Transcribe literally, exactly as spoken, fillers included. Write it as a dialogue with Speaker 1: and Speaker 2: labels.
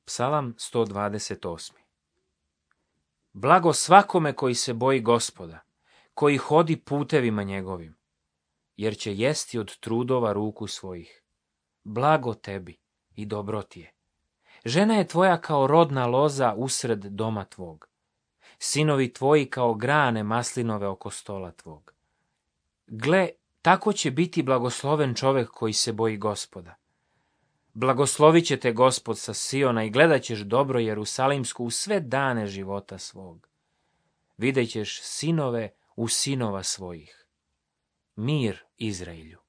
Speaker 1: Psalam sto dvadeset osam. Blago svakome koji se boji Gospoda, koji hodi putevima njegovim, jer će jesti od trudova ruku svojih. Blago tebi i dobro ti je. Žena je tvoja kao rodna loza usred doma tvog. Sinovi tvoji kao grane maslinove oko stola tvog. Gle, tako će biti blagosloven čovjek koji se boji Gospoda. Blagoslovit će te Gospod sa Siona i gledat ćeš dobro Jerusalimsku u sve dane života svog. Vidjet ćeš sinove u sinova svojih. Mir Izraelju.